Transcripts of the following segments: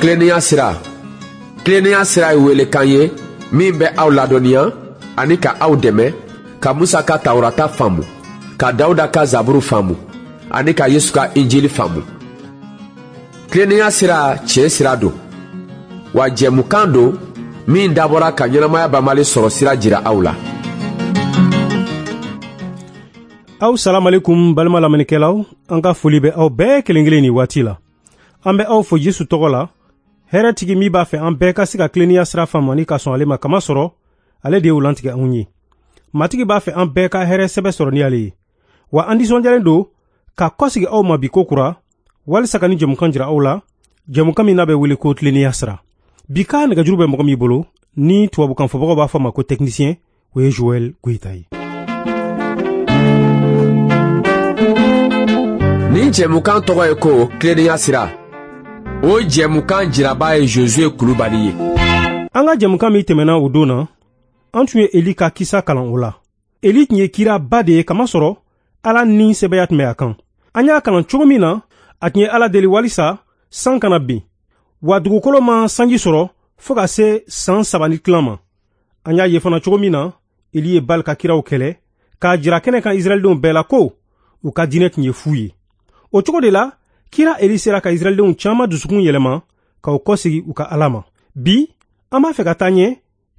Tilennenya sira, tilennenya sira ye welekan ye min bɛ aw ladɔnniya ani ka aw dɛmɛ ka Musa ka Tawurata faamu, ka Dawuda ka Zaburu faamu ani ka Yesu ka Injili faamu. Tilennenya sira tiɲɛ sira don, wa jɛmukan don min dabɔra ka ɲɛnamaya banbali sɔrɔ sira jira aw la. Aw salamalekum balima lamɛnnikɛlaw, an ka foli bɛ aw bɛɛ kelen kelen nin waati la. An bɛ aw fo Yesu tɔgɔ la, hɛrɛtigi min b'a fɛ an bɛɛ ka se ka tilennenya sira faamu ani ka sɔn ale ma, kamasɔrɔ ale de y'o lantigɛ anw ye. Matigi b'a fɛ an bɛɛ ka hɛrɛ sɛbɛ sɔrɔ ni ale ye. Wa an nisɔndiyalen don ka kɔsegi aw ma bi ko kura, walisa ka ni jɛmukan jira aw la, jɛmukan min n'a bɛ wele ko tilennenya sira. Bi ka nɛgɛjuru bɛ mɔgɔ min bolo, ni tubabukan fɔbagaw b'a fɔ ma ko technicien, o ye Joël Goyita ye. Nin jɛmukan tɔgɔ ye ko tilennenya sira. O jɛmukan jiraba ye Josué Kulubali ye. An ka jɛmukan min tɛmɛna o don na, an tun ye Eli ka kisa kalan o la. Eli tun ye kiraba de ye, kamasɔrɔ Ala ni sɛbɛya tun bɛ a kan. An y'a kalan cogo min na, a tun ye Ala deli walisa san kana bin, wa dugukolo ma sanji sɔrɔ fo ka se san 3 ni tilan ma. An y'a ye fana cogo min na, Eli ye Bali ka kiraw kɛlɛ k'a jira kɛnɛ kan Israɛldenw bɛɛ la ko u ka diinɛ tun ye fu ye. O cogo de la, kira Eli sera ka Israɛldenw caman dusukun yɛlɛma k'u kɔsegi u ka Ala ma. Bi, an b'a fɛ ka taa ɲɛ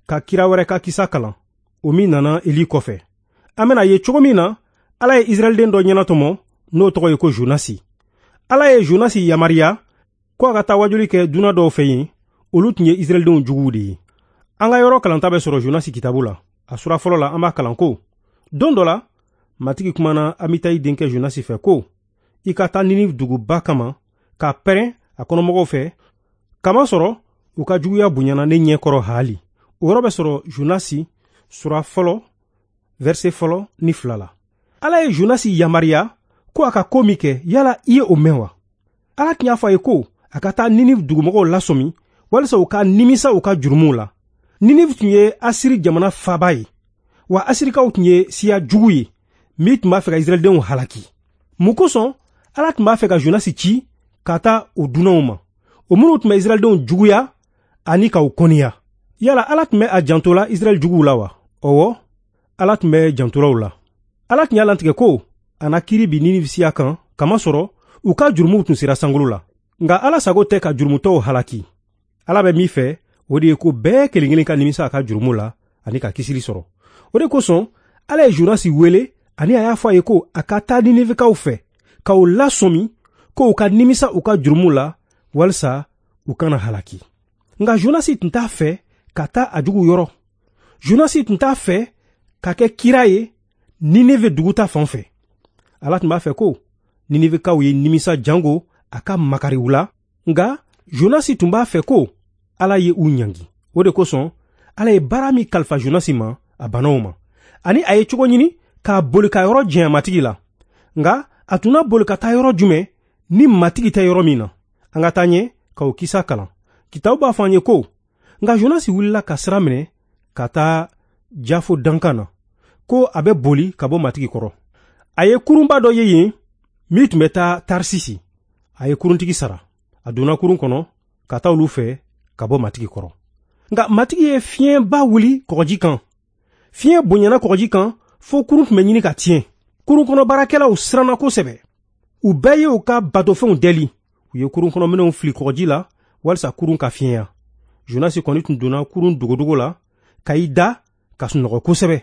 ka kira wɛrɛ ka kisa kalan, o min nana Eli kɔfɛ. An bɛna ye cogo min na, Ala ye Israɛlden dɔ ɲɛnatɔmɔ, n'o tɔgɔ ye ko Jonasi. Ala ye Jonasi yamaruya ko a ka taa wajuli kɛ dunan dɔw fɛ yen, olu tun ye Israɛldenw juguw de ye. An ka yɔrɔ kalanta bɛ sɔrɔ Jonasi kitabu la. A sura fɔlɔ la, an b'a kalan ko: Don dɔ la, Matigi kumana Amitayi denkɛ Jonasi fɛ ko: I ka taa Ninive duguba kama ka pɛrɛn a kɔnɔmɔgɔw fɛ, kamasɔrɔ u ka juguya bonyana ne ɲɛ kɔrɔ haali. O yɔrɔ bɛ sɔrɔ Jonasi sura fɔlɔ, verset 1 ni 2 la. Ala ye Jonasi yamaruya ko a ka ko min kɛ, yala i ye o mɛn wa? Ala tun y'a fɔ a ye ko a ka taa Ninive dugumɔgɔw lasɔmi walisa u ka nimisa u ka jurumuw la. Ninive tun ye Asiri jamana faaba ye, wa Asirikaw tun ye siya jugu ye min tun b'a fɛ ka Israɛldenw halaki. Mun kosɔn Ala tun b'a fɛ ka Jonasi ci ka taa o dunanw ma, o minnu tun bɛ Israɛldenw juguya ani k'u kɔniya? Yala Ala tun bɛ a janto la Israɛl juguw la wa? Ɔwɔ, Ala tun bɛ jantolaw la. Ala tun y'a lantigɛ ko a na kiiri bin Ninive siya kan, kamasɔrɔ u ka jurumuw tun sera sankolo la. Nka Ala sago tɛ ka jurumutɔw halaki. Ala bɛ min fɛ, o de ye ko bɛɛ kelen kelen ka nimisa a ka jurumu la ani ka kisili sɔrɔ. O de kosɔn Ala ye Jonasi wele ani a y'a fɔ a ye ko a ka taa Ninivekaw fɛ k'u lasɔmi ko u ka nimisa u ka jurumu la walisa u kana halaki. Nka Jonasi tun t'a fɛ ka taa a jugu yɔrɔ. Jonasi tun t'a fɛ ka kɛ kira ye Nineve dugu ta fan fɛ. Ala tun b'a fɛ ko Ninivekaw ye nimisa jango a ka makari u la, nka Jonasi tun b'a fɛ ko Ala ye u ɲangi. O de kosɔn Ala ye baara min kalifa Jonasi ma, a banna o ma. Ani a ye cogo ɲini k'a boli ka yɔrɔ janya Matigi la. Nka a tun na boli ka taa yɔrɔ jumɛn ni Matigi tɛ yɔrɔ min na? An ka taa ɲɛ ka o kisa kalan. Kitabu b'a fɔ an ye ko: Nka Jonasi wulila ka sira minɛ ka taa Jafo dankan na, ko a bɛ boli ka bɔ Matigi kɔrɔ. A ye kurunba dɔ ye yen min tun bɛ taa Tarsisi. A ye kuruntigi sara. A donna kurun kɔnɔ ka taa olu fɛ ka bɔ Matigi kɔrɔ. Nka Matigi ye fiɲɛba wuli kɔgɔji kan. Fiɲɛ bonyana kɔgɔji kan fo kurun tun bɛ ɲini ka tiɲɛ. Kurun kɔnɔ baarakɛlaw siranna kosɛbɛ. U bɛɛ ye u ka batofɛnw dɛli. U ye kurun kɔnɔ minɛnw fili kɔgɔji la walisa kurun ka fiɲɛya. Jonasi kɔni tun donna kurun dogodogo la ka i da ka sunɔgɔ kosɛbɛ.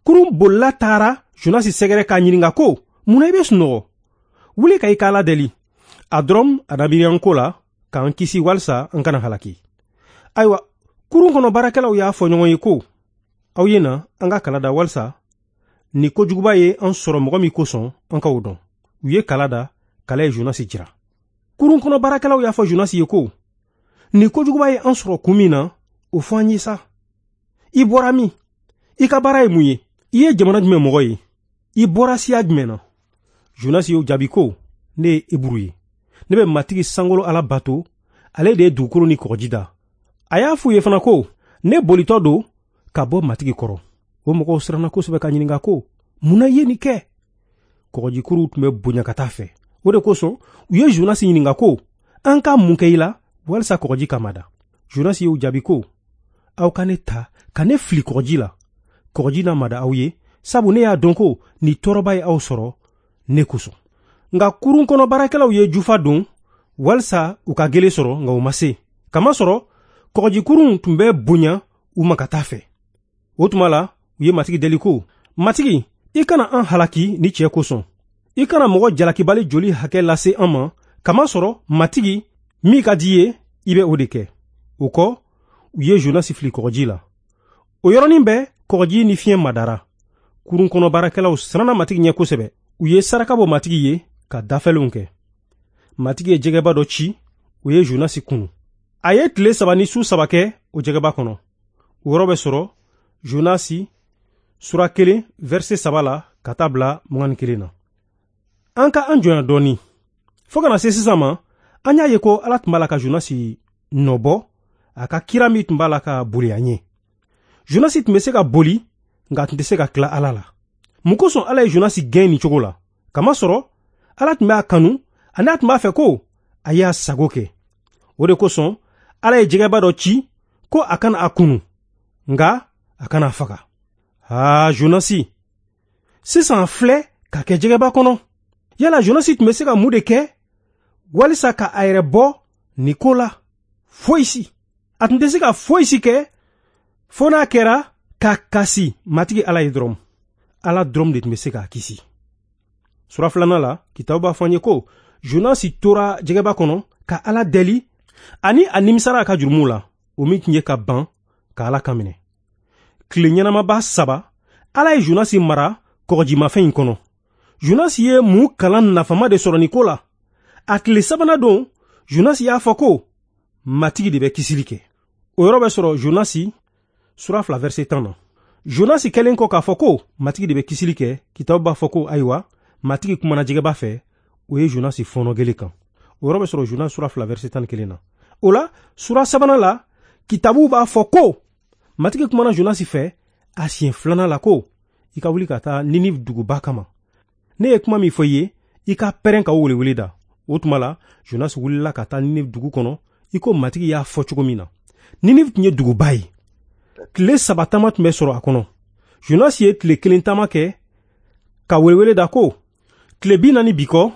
Kurun bolila taara Jonasi sɛgɛrɛ k'a ɲininka ko: Mun na i bɛ sunɔgɔ? Wuli ka i ka Ala deli. A dɔrɔn a na miiri an ko la k'an kisi walisa an kana halaki. Ayiwa, kurun kɔnɔ baarakɛlaw y'a fɔ ɲɔgɔn ye ko: Aw ye na an ka kala da walisa ni kojuguba ye an sɔrɔ mɔgɔ min kosɔn an k'o dɔn. U ye kala da, kala ye Jonasi jira. Kurun kɔnɔ baarakɛlaw y'a fɔ Jonasi ye ko: Ni kojuguba ye an sɔrɔ kun min na, o fɔ an ye sa. I bɔra min? I ka baara ye mun ye? I ye jamana jumɛn mɔgɔ ye? I bɔra siya jumɛn na? Jonasi y'o jaabi ko: Ne ye Eburu ye. Ne bɛ Matigi sankolo Ala bato, ale de ye dugukolo ni kɔgɔji da. A y'a f'u ye fana ko: Ne bolitɔ don ka bɔ Matigi kɔrɔ. O mɔgɔw siranna kosɛbɛ ka ɲininka ko: Mun na i ye nin kɛ? Kɔgɔjikuruw tun bɛ bonya ka taa fɛ. O de kosɔn u ye Jonasi ɲininka ko: An ka mun kɛ i la walisa kɔgɔji ka mada. Jonasi y'u jaabi ko, aw ka ne ta ka ne fili kɔgɔji la, kɔgɔji na mada aw ye, sabu ne y'a dɔn ko nin tɔɔrɔba ye aw sɔrɔ ne kosɔn. Nka kurun kɔnɔ baarakɛlaw ye jufa don walisa u ka gele sɔrɔ, nka u ma se, kamasɔrɔ kɔgɔjikurun tun bɛ bonya u ma ka taa fɛ. O tuma la u ye Matigi deli ko, Matigi, i kana an halaki ni cɛ kosɔn, i kana mɔgɔ jalakibali joli hakɛ lase an ma, kamasɔrɔ Matigi, min ka di i ye, i bɛ o de kɛ. O kɔ, u ye Jonasi fili kɔgɔji la. O yɔrɔnin bɛɛ kɔgɔji ni fiɲɛ madara. Kurun kɔnɔ baarakɛlaw siranna Matigi ɲɛ kosɛbɛ. U ye saraka bɔ Matigi ye ka dafɛlenw kɛ. Matigi ye jɛgɛba dɔ ci, o ye Jonasi kunu. A ye tile 3 ni su 3 kɛ o jɛgɛba kɔnɔ. O yɔrɔ bɛ sɔrɔ Jonasi sura 1 verset 3 la ka taa bila 21 na. An ka an jɔnya dɔɔni. Fo kana se sisan ma, an y'a ye ko Ala tun b'a la ka Jonasi nɔbɔ a ka kira min tun b'a la ka boli a ɲɛ. Jonasi tun bɛ se ka boli, nka a tun tɛ se ka tila Ala la. Mun kosɔn Ala ye Jonasi gɛn nin cogo la? Kamasɔrɔ Ala tun bɛ a kanu ani a tun b'a fɛ ko a y'a sago kɛ. O de kosɔn Ala ye jɛgɛba dɔ ci ko a kana a kunu, nka a kana a faga. Aa, Jonasi, sisan filɛ ka kɛ jɛgɛba kɔnɔ. Yala Jonasi tun bɛ se ka mun de kɛ walisa ka a yɛrɛ bɔ nin ko la? Foyi si. A tun tɛ se ka foyi si kɛ fo n'a kɛra ka kasi Matigi Ala ye dɔrɔn. Ala dɔrɔn de tun bɛ se k'a kisi. Sura 2 la, kitabu b'a fɔ an ye ko Jonasi tora jɛgɛba kɔnɔ ka Ala deli ani a nimisara a ka jurumuw la, o min tun ye ka ban ka Ala kan minɛ. Tile ɲɛnamaba 3, Ala ye Jonasi mara kɔgɔjimafɛn in kɔnɔ. Jonasi ye mun kalan nafama de sɔrɔ nin ko la? A tile 3nan don, Jonasi y'a fɔ ko Matigi de bɛ kisili kɛ. O yɔrɔ bɛ sɔrɔ Jonasi sura 2 verset 10 na. Jonasi kɛlen kɔ k'a fɔ ko Matigi de bɛ kisili kɛ, kitabu b'a fɔ ko ayiwa, Matigi kumana jɛgɛba fɛ, o ye Jonasi fɔɔnɔ gele kan. O yɔrɔ bɛ sɔrɔ Jonasi sura 2 verset 11 na. O la, sura 3nan la, kitabu b'a fɔ ko Matigi kumana Jonasi fɛ a siɲɛ 2nan la ko i ka wuli ka taa Ninive duguba kama. Ne ye kuma min fɔ i ye, i ka pɛrɛn ka o welewele da. O tuma la, Jonasi wulila ka taa Ninive dugu kɔnɔ i ko Matigi y'a fɔ cogo min na. Ninive tun ye duguba ye. Tile 3 taama tun bɛ sɔrɔ a kɔnɔ. Jonasi ye tile 1 taama kɛ ka welewele da ko tile 40 bi kɔ,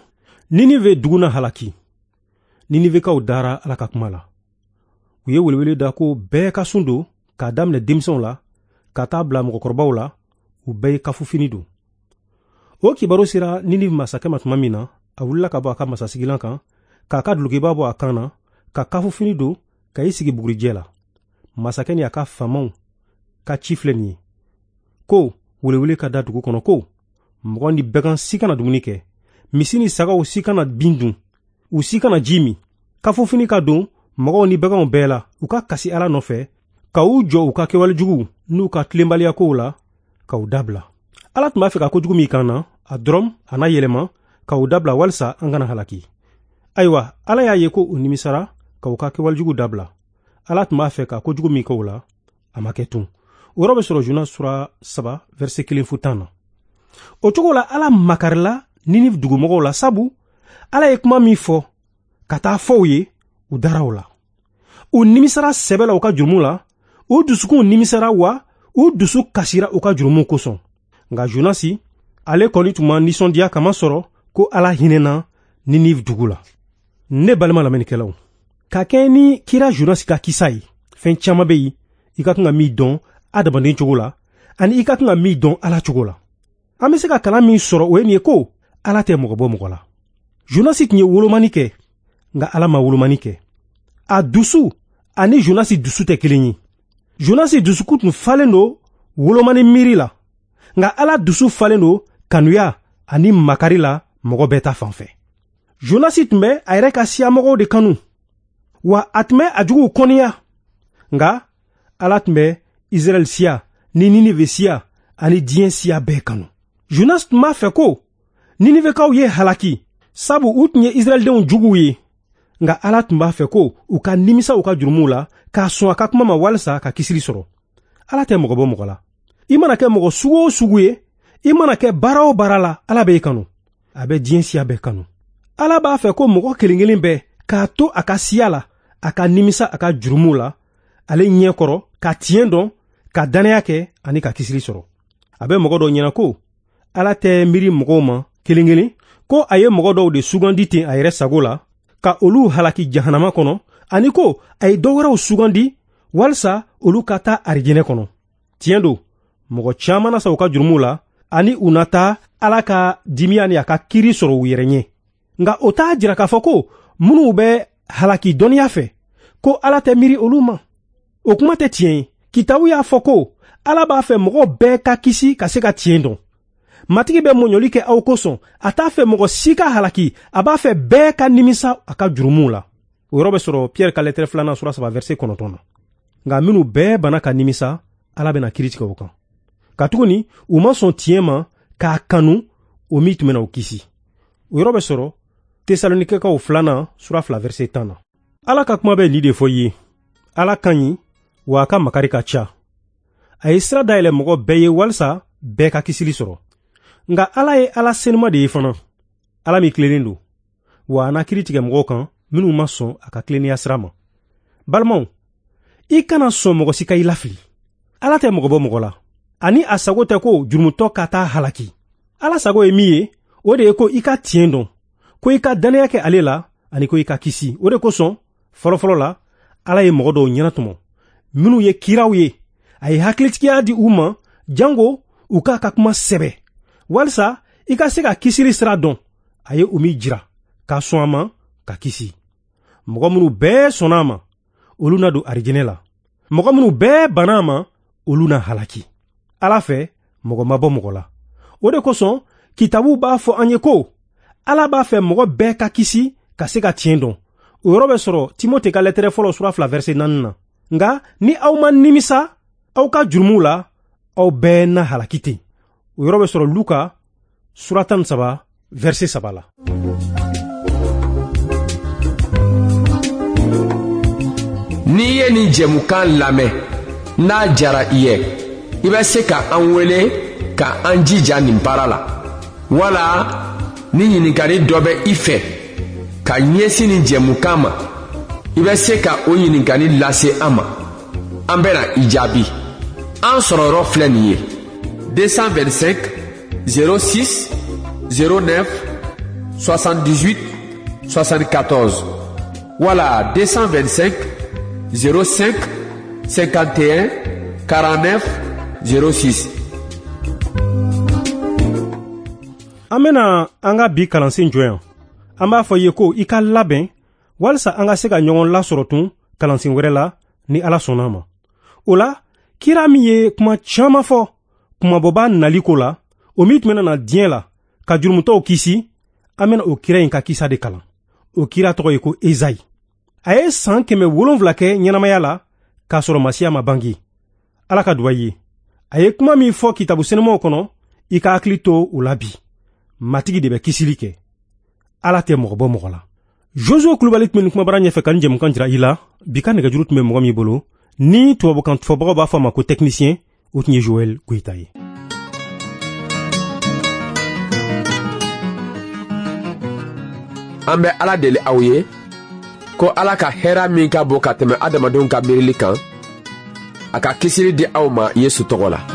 Ninive dugu na halaki. Ninivekaw dara Ala ka kuma la. U ye welewele da ko bɛɛ ka sun don, k'a daminɛ denmisɛnw la ka taa bila mɔgɔkɔrɔbaw la, u bɛɛ ye kafufini don. O kibaru sera Ninive masakɛ ma tuma min na, a wulila ka bɔ a ka masasigilan kan, k'a ka dulokiba bɔ a kan na, ka kafufini don, ka i sigi bugurijɛ la. Masakɛ ni a ka faamaw ka ci filɛ nin ye ko welewele ka da dugu kɔnɔ ko mɔgɔ ni bagan si kana dumuni kɛ, misi ni sagaw si kana bin dun, u si kana ji min. Kafufini ka don mɔgɔw ni baganw bɛɛ la, u ka kasi Ala nɔfɛ, ka u jɔ u ka kɛwale juguw n'u ka tilenbaliyakow la, ka u dabila. Ala tun b'a fɛ ka kojugu min kan na, a dɔrɔn a n'a yɛlɛma ka u dabila walisa an kana halaki. Ayiwa, Ala y'a ye ko u nimisara ka u ka kɛwale juguw dabila. Ala tun b'a fɛ ka kojugu min kɛ u la, a ma kɛ tun. O yɔrɔ bɛ sɔrɔ Jonas sura 3 verset 1 fo 10 na. O cogo la, Ala makarila Ninive dugumɔgɔw la, sabu Ala ye kuma min fɔ ka taa fɔ u ye, u dara o la. U nimisara sɛbɛ la u ka jurumu la, u dusukunw nimisara wa u dusu kasira u ka jurumu kosɔn. Nka Jonasi, ale kɔni tun ma nisɔndiya kamasɔrɔ ko Ala hinɛna Ninive dugu la. Ne balima lamɛnnikɛlaw, ka kɛɲɛ ni kira Jonasi ka kisa ye, fɛn caman bɛ yen i ka kan ka min dɔn adamaden cogo la, ani i ka kan ka min dɔn Ala cogo la. An bɛ se ka kalan min sɔrɔ o ye nin ye ko Ala tɛ mɔgɔ bɔ mɔgɔ la. Jonasi tun ye wolomani kɛ, nka Ala ma wolomani kɛ. A dusu ani Jonasi dusu tɛ kelen ye. Jonasi dusukun tun falen don wolomani miiri la, nka Ala dusu falen don kanuya ani makari la mɔgɔ bɛɛ ta fan fɛ. Jonasi tun bɛ a yɛrɛ ka siyamɔgɔw de kanu, wa a tun bɛ a juguw kɔniya, nka Ala tun bɛ Israɛl siya ni Ninive siya ani diɲɛ siya bɛɛ kanu. Jonas tun b'a fɛ ko Ninivekaw ye halaki, sabu u tun ye Israɛldenw juguw ye, nka Ala tun b'a fɛ ko u ka nimisa u ka jurumuw la k'a sɔn a ka kuma ma walisa ka kisili sɔrɔ. Ala tɛ mɔgɔ bɔ mɔgɔ la. I mana kɛ mɔgɔ sugu o sugu ye, i mana kɛ baara o baara la, Ala b'e kanu. A bɛ diɲɛ siya bɛɛ kanu. Ala b'a fɛ ko mɔgɔ kelen kelen bɛɛ k'a to a ka siya la a ka nimisa a ka jurumuw la ale ɲɛ kɔrɔ, ka tiɲɛ dɔn, ka dannaya kɛ ani ka kisili sɔrɔ. A bɛ mɔgɔ dɔw ɲɛna ko Ala tɛ miiri mɔgɔw ma kelen kelen, ko a ye mɔgɔ dɔw de sugandi ten a yɛrɛ sago la ka olu halaki jahanama kɔnɔ, ani ko a ye dɔ wɛrɛw sugandi walisa olu ka taa arijinɛ kɔnɔ. Tiɲɛ don, mɔgɔ caman na sa u ka jurumuw la, ani u na taa Ala ka dimiya ni a ka kiiri sɔrɔ u yɛrɛ ɲɛ. Nka o t'a jira k'a fɔ ko minnu bɛ halaki dɔnniya fɛ, ko Ala tɛ miiri olu ma. O kuma tɛ tiɲɛ ye. Kitabu y'a fɔ ko Ala b'a fɛ mɔgɔ bɛɛ ka kisi ka se ka tiɲɛ dɔn. Matigi bɛ mɔɲɔli kɛ aw kosɔn, a t'a fɛ mɔgɔ si ka halaki, a b'a fɛ bɛɛ ka nimisa a ka jurumuw la. O yɔrɔ bɛ sɔrɔ Pierre ka lɛtɛrɛ 2 sura 3 verset 9 na. Nka minnu bɛɛ banna ka nimisa, Ala bɛna kiiri tigɛ o kan. Katuguni u ma sɔn tiɲɛ ma k'a kanu, o min tun bɛna u kisi. O yɔrɔ bɛ sɔrɔ Tesalonikɛkaw 2 sura 2 verset 10 na. Ala ka kuma bɛ nin de fɔ i ye. Ala ka ɲi, wa a ka makari ka ca. A ye sira dayɛlɛ mɔgɔ bɛɛ ye walisa bɛɛ ka kisili sɔrɔ. Nka Ala ye Ala senuma de ye fana, Ala min tilennen don, wa a na kiiri tigɛ mɔgɔw kan minnu ma sɔn a ka tilennenya sira ma. Balimaw, i kana sɔn mɔgɔ si ka i lafili. Ala tɛ mɔgɔ bɔ mɔgɔ la, ani a sago tɛ ko jurumutɔ ka taa halaki. Ala sago ye min ye, o de ye ko i ka tiɲɛ dɔn, ko i ka dannaya kɛ ale la, ani ko i ka kisi. O de kosɔn fɔlɔfɔlɔ la, Ala ye mɔgɔ dɔw ɲɛnatɔmɔ minnu ye kiraw ye. A ye hakilitigiya di u ma jango u k'a ka kuma sɛbɛ, walisa i ka se ka kisili sira dɔn. A ye o min jira ka sɔn a ma ka kisi. Mɔgɔ minnu bɛɛ sɔnna a ma, olu na don arijinɛ la. Mɔgɔ minnu bɛɛ banna a ma, olu na halaki. Ala fɛ, mɔgɔ ma bɔ mɔgɔ la. O de kosɔn kitabu b'a fɔ an ye ko Ala b'a fɛ mɔgɔ bɛɛ ka kisi ka se ka tiɲɛ dɔn. O yɔrɔ bɛ sɔrɔ Timote ka lɛtɛrɛ fɔlɔ sura 2 verset 4 na. Nka ni aw ma nimisa aw ka jurumuw la, aw bɛɛ na halaki ten. O yɔrɔ bɛ sɔrɔ Luka sura 13 verset 3 la. N'i ye nin jɛmukan lamɛn, n'a diyara i ye, i bɛ se ka an wele ka an jija nin baara la. Wala ni ɲininkali dɔ bɛ i fɛ ka ɲɛsin nin jɛmukan ma, i bɛ se ka o ɲininkali lase an ma. An bɛna i jaabi. An sɔrɔ yɔrɔ filɛ nin ye: 225 06 09 78 74 wala 225 05 51 49 06. An bɛna an ka bi kalansen jɔ yan. An b'a fɔ i ye ko i ka labɛn walisa an ka se ka ɲɔgɔn lasɔrɔ tun kalansen wɛrɛ la ni Ala sɔnna a ma. O la, kira min ye kuma caman fɔ kumabɔba nali ko la, o min tun bɛna na diɲɛ la ka jurumutɔw kisi, an bɛna o kira in ka kisa de kalan. O kira tɔgɔ ye ko Ezayi. A ye san 700 kɛ ɲɛnamaya la k'a sɔrɔ Masiya ma bange. Ala ka duba i ye. A ye kuma min fɔ kitabu senumaw kɔnɔ, i ka hakili to o la bi. Matigi de bɛ kisili kɛ. Ala tɛ mɔgɔ bɔ mɔgɔ la. Josué Kulubali tun bɛ nin kumabara ɲɛfɛ ka nin jɛmukan jira i la. Bi ka nɛgɛjuru tun bɛ mɔgɔ min bolo, ni tubabukan fɔbagaw b'a fɔ a ma ko technicien, o tun ye Joël Goyita ye. An bɛ Ala deli aw ye ko Ala ka hɛrɛ min ka bon ka tɛmɛ adamadenw ka miirili kan, a ka kisili di aw ma Yesu tɔgɔ la.